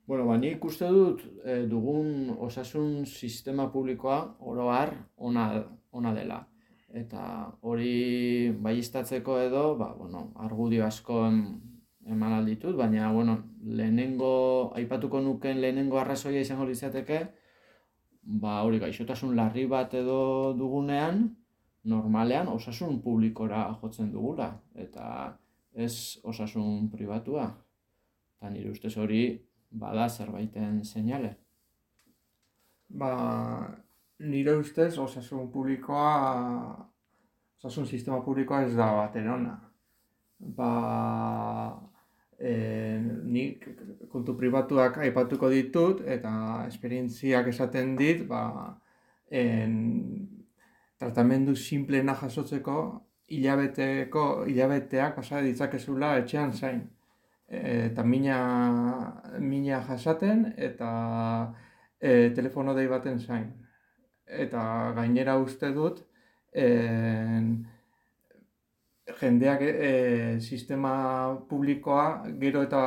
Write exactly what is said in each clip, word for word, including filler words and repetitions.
Bueno, ba, nik uste dut eh, dugun osasun sistema publikoa oro har ona, ona dela. Eta hori baieztatzeko edo, ba, bueno, argudio asko em- eman alditut, baina, bueno, lehenengo, aipatuko nuken lehenengo arrazoia izango litzateke, ba, hori gaixotasun larri bat edo dugunean, normalean osasun publikora jotzen dugula, eta ez osasun pribatua. Eta nire ustez hori bada zerbaiten seinale. Ba, nire ustez osasun publikoa, osasun sistema publikoa ez da batere ona. Ba, e, nik kontu pribatuak aipatuko ditut eta esperientziak esaten dit, ba, en, tratamendu simpleena jasotzeko hilabeteko hilabeteak pasa ditzakezula etxean zain. Eta mina, mina jasaten eta e, telefono dei baten zain. Eta gainera uste dut en, jendeak e, sistema publikoa gero eta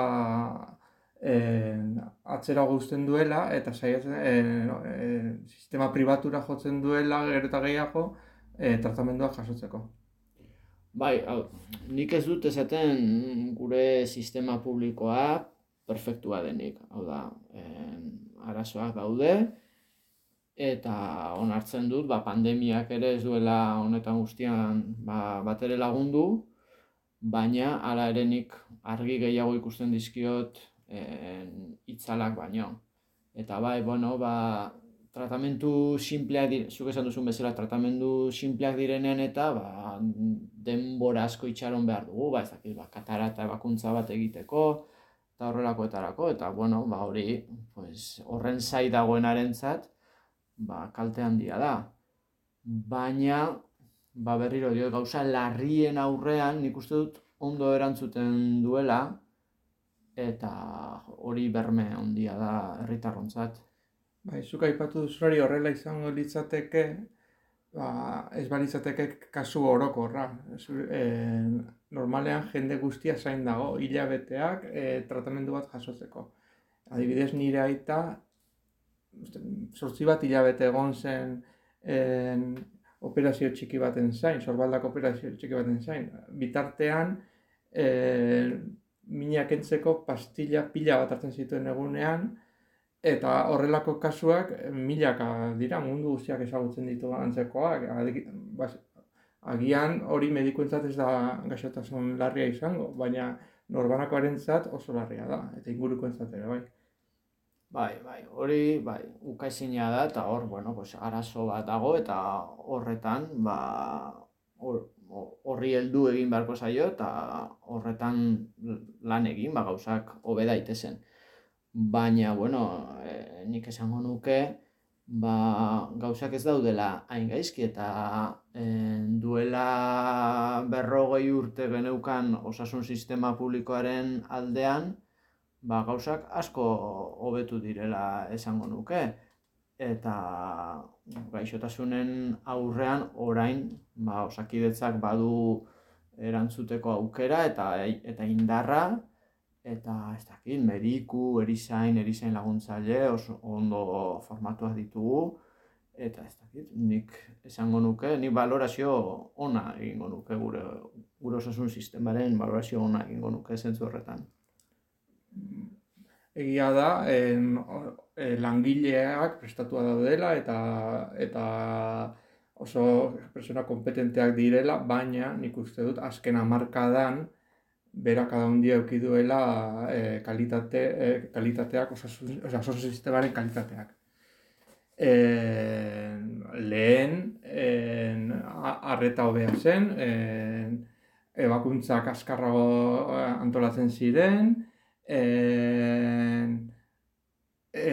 en, atzera guzten duela eta saiatzen en, en, sistema pribatura jotzen duela gero eta gehiago e, tratamenduak jasotzeko. Bai, hau, nik ez dut esaten gure sistema publikoa perfektua denik. Hau da, em, arazoak daude, eta onartzen dut, ba, pandemiak ere ez duela honetan guztian ba, batere lagundu, baina hala ere nik argi gehiago ikusten dizkiot em, itzalak baino. Eta bai, bueno, ba, tratamendu simpleak dire, zuk esan duzun bezala, tratamendu simpleak direnean eta ba, denbora asko itxaron behar dugu, ba, ez dakit, ba, katarata ebakuntza bat egiteko, eta horrelakoetarako, eta bueno, ba, hori, pues, horren zai dagoenarentzat, ba, kalte handia da. Baina, ba, berriro dio, gauza larrien aurrean, nik uste dut ondo erantzuten duela, eta hori berme handia da herritarrontzat. Bai, zuk aipatu duzulari horrela izango litzateke, ba, ez balitzateke kasu orokorra. Zu- E, normalean jende guztia zain dago, hilabeteak e, tratamendu bat jasotzeko. Adibidez nire aita, zortzi bat hilabete egon zen en, operazio txiki baten zain, sorbaldako operazio txiki baten zain. Bitartean, e, mina kentzeko pastilla pila bat hartzen zituen egunean, eta horrelako kasuak milaka dira, mundu guztiak ezagutzen ditu antzekoak. Adi- bas- Agian hori medikuentzat ez da gaixotasun larria izango, baina norbanakoarentzat oso larria da, eta ingurukoentzat ere bai. Bai, bai, hori, bai, ukaezina da, eta hor, bueno, pues, arazo bat dago, eta horretan, ba, hor- horri heldu egin beharko zaio, eta horretan lan egin, ba, gauzak hobe daitezen. Baina, bueno, eh, nik esango nuke, ba, gauzak ez daudela hain gaizki, eta eh, duela berrogei urte geneukan osasun sistema publikoaren aldean, ba, gauzak asko hobetu direla esango nuke. Eta gaixotasunen aurrean orain, ba, osakidetzak badu erantzuteko aukera eta eta indarra, eta ez dakit, mediku, erizain, erizain laguntzaile oso ondo formatuak ditugu, eta ez dakit, nik esango nuke, nik balorazio ona egingo nuke gure, gure osasun sistemaren balorazio ona egingo nuke zentzu horretan. Egia da, en, o- e, langileak prestatua daudela eta, eta oso persona kompetenteak direla, baina nik uste dut azken hamarkadan berakada handia eduki duela e, kalitate, e, kalitateak, osasun, osea, osasun sistemaren kalitateak. En, lehen, en, a- arreta hobea zen, en, ebakuntzak azkarrago eh, antolatzen ziren, en, e,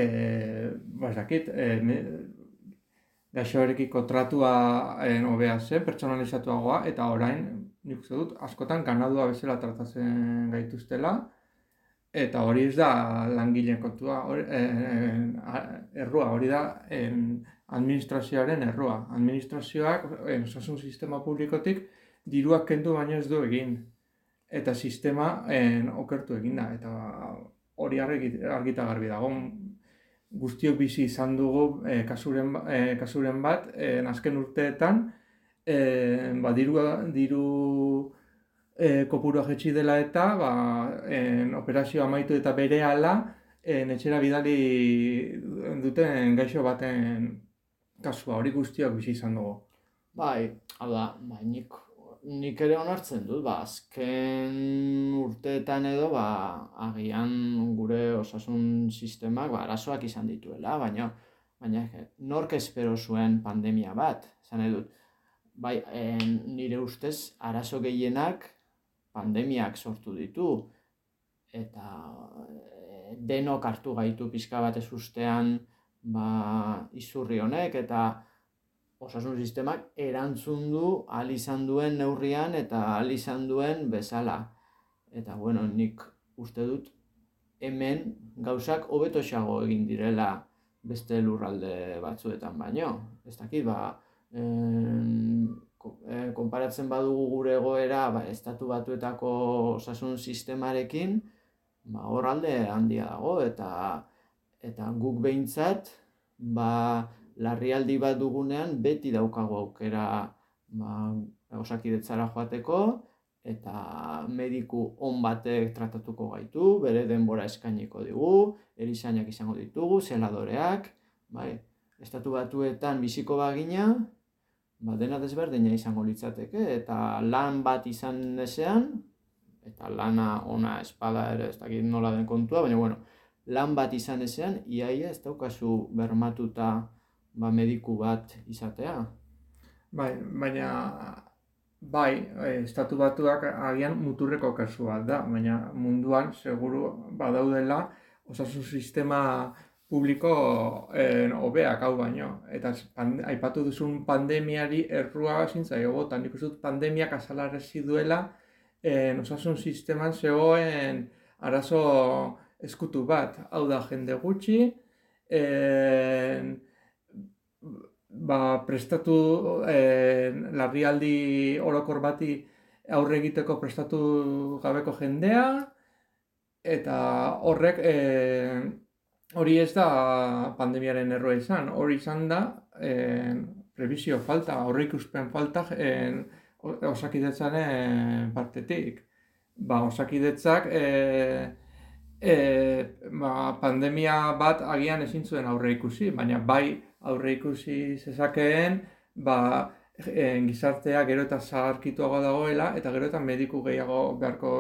ba, ez dakit, e, me- gaixoarekiko tratua en, hobea zen, pertsonalizatuagoa, eta orain, nik uste dut, askotan ganadua bezala tratatzen gaituztela, eta hori ez da langileen kontua, hori, en, a- errua, hori da en, administrazioaren errua. Administrazioak, en, osasun sistema publikotik, diruak kendu baino ez du egin. Eta sistema en, okertu egin da. Eta hori argi, argita garbi dago. Guztiok bizi izan dugu e, kasuren, e, kasuren bat, e, azken urteetan, e, ba, diru, diru e, kopurua jetxi dela eta ba, en, operazio amaitu eta berehala en, etxera bidali duten gaixo baten kasua, hori guztiok bizi izan dugu. Bai, hau da, bai, nik, nik ere onartzen dut, ba, azken urteetan edo, ba, agian gure osasun sistemak, ba, arazoak izan dituela, baina, baina nork espero zuen pandemia bat, esan nahi dut, bai, en, nire ustez, arazo gehienak pandemiak sortu ditu, eta e, denok hartu gaitu pixka bat ez ustean, ba, izurri honek, eta osasun sistemak erantzun du ahal izan duen neurrian eta ahal izan duen bezala. Eta, bueno, nik uste dut hemen gauzak hobetoxeago egin direla beste lurralde batzuetan baino. Ez dakit, ba, en, konparatzen badugu gure egoera ba, estatu batuetako osasun sistemarekin, ba, hor alde handia dago, eta, eta guk behintzat, ba, larrialdi bat dugunean beti daukagu aukera ba, osakidetzara joateko eta mediku on batek tratatuko gaitu, bere denbora eskainiko digu, erizainak izango ditugu, zeladoreak, bai, estatu batuetan biziko bagina, ba, dena desberdina izango litzateke, eta lan bat izan ezean, eta lana ona espada ere, ez dakit nola den kontua, baina bueno, lan bat izan ezean, iaia ez daukazu bermatuta ba, mediku bat izatea. Bai, baina bai, estatu batuak agian muturreko kasua da, baina munduan seguru badaudela osasun sistema publiko eh, hobeak hau baino. Eta pande, aipatu duzun pandemiari errua zintzaio botan, nik uste dut pandemiak azalarrezi duela eh, osasun sisteman zegoen arazo eskutu bat, hau da jende gutxi, eh, ba, prestatu eh, larrialdi orokor bati aurre egiteko prestatu gabeko jendea, eta horrek eh, hori ez da pandemiaren erroa izan, hori izan da eh, prebizio falta, aurreikuspen falta eh, osakidetzaren partetik. Ba, osakidetzak eh, eh, ba, pandemia bat agian ezin zuen aurre ikusi, baina bai aurre ikusi zezakeen, ba, e, gizartea gero eta zaharkituago dagoela, eta gero eta mediku gehiago beharko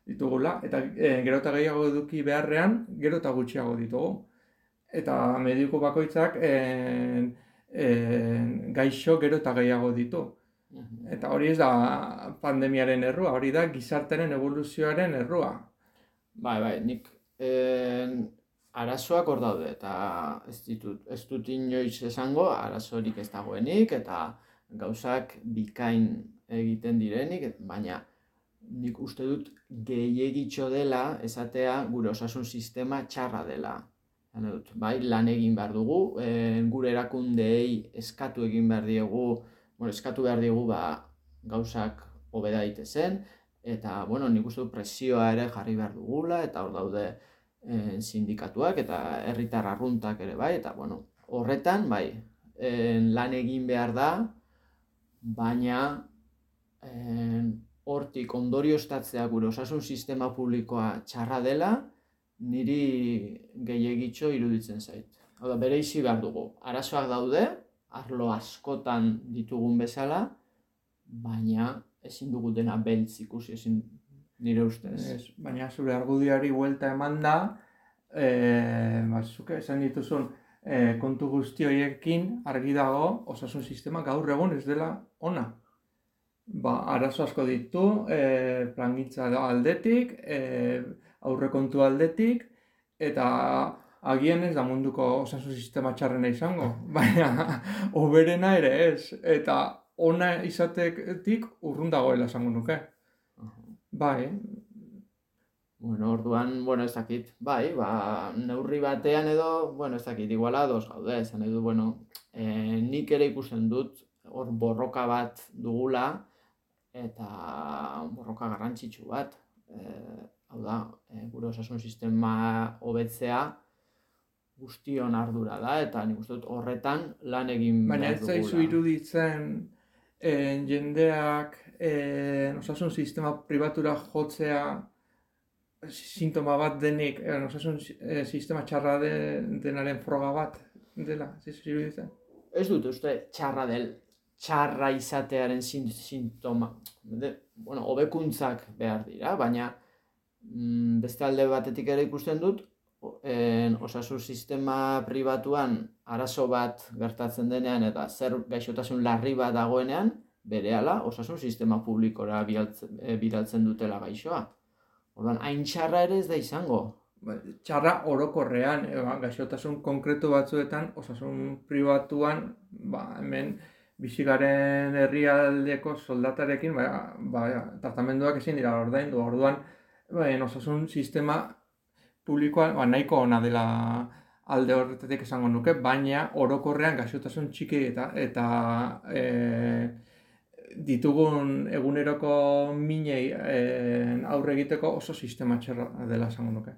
ditugula, eta e, gero eta gehiago eduki beharrean, gero eta gutxiago ditugu. Eta mediku bakoitzak e, e, gaixo gero eta gehiago ditu. Eta hori ez da pandemiaren errua, hori da gizartaren evoluzioaren errua. Bai, bai, nik en, arazoak hor daude, eta ez ditut, ez dut inoiz esango arazorik ez dagoenik, eta gauzak bikain egiten direnik, baina nik uste dut gehiegitxo dela esatea gure osasun sistema txarra dela. Dut, bai, lan egin behar dugu, e, gure erakundeei eskatu egin behar diegu, bueno, eskatu behar diegu ba, gauzak hobeda daitezen, eta bueno, nik uste dut presioa ere jarri behar dugula, eta hor daude e, sindikatuak eta herritar arruntak ere bai, eta bueno, horretan bai, e, lan egin behar da, baina e, hortik ondorioztatzea gure osasun sistema publikoa txarra dela, niri gehiegitxo iruditzen zait. Hau da, bereizi behar dugu. Arazoak daude, arlo askotan ditugun bezala, baina ezin dugu dena beltz ikusi, ezin nire ustez. Ez, baina zure argudiari buelta eman da, e, batzuk esan dituzun e, kontu guzti horiekin argi dago osasun sistema gaur egun ez dela ona. Ba, arazo asko ditu, e, plangintza aldetik, e, aurrekontu aldetik, eta agian ez da munduko osasun sistema txarrena izango, baina hoberena ere ez, eta ona izatetik urrun dagoela esango nuke. Bai. Bueno, orduan, bueno, ez dakit, bai, ba, neurri batean edo, bueno, ez dakit, iguala ados gaude, esan edo, bueno, e, nik ere ikusten dut, hor borroka bat dugula, eta borroka garrantzitsu bat. E, hau da, e, gure osasun sistema hobetzea guztion ardura da, eta nik uste dut horretan lan egin Baina behar ez zaizu dugula. iruditzen eh, jendeak eh, osasun sistema pribatura jotzea sintoma bat denik, eh, osasun eh, sistema txarra de, denaren froga bat dela, ez zaizu iruditzen? Ez dut uste txarra del, txarra izatearen sin- sintoma. De, bueno, hobekuntzak behar dira, baina mm, beste alde batetik ere ikusten dut, o- en, osasun sistema pribatuan arazo bat gertatzen denean eta zer gaixotasun larri bat dagoenean, berehala osasun sistema publikora bidaltzen, eh, bidaltzen dutela gaixoa. Orduan, hain txarra ere ez da izango. Ba, txarra orokorrean, e, ba, gaixotasun konkretu batzuetan, osasun pribatuan, ba, hemen bizigaren herrialdeko soldatarekin, ba, ba, tratamenduak ezin dira ordaindu. Orduan, ba, osasun sistema publikoan ba, nahiko ona dela alde horretatik esango nuke, baina orokorrean gaixotasun txiki eta eta e, ditugun eguneroko minei e, aurre egiteko oso sistema txarra dela esango nuke.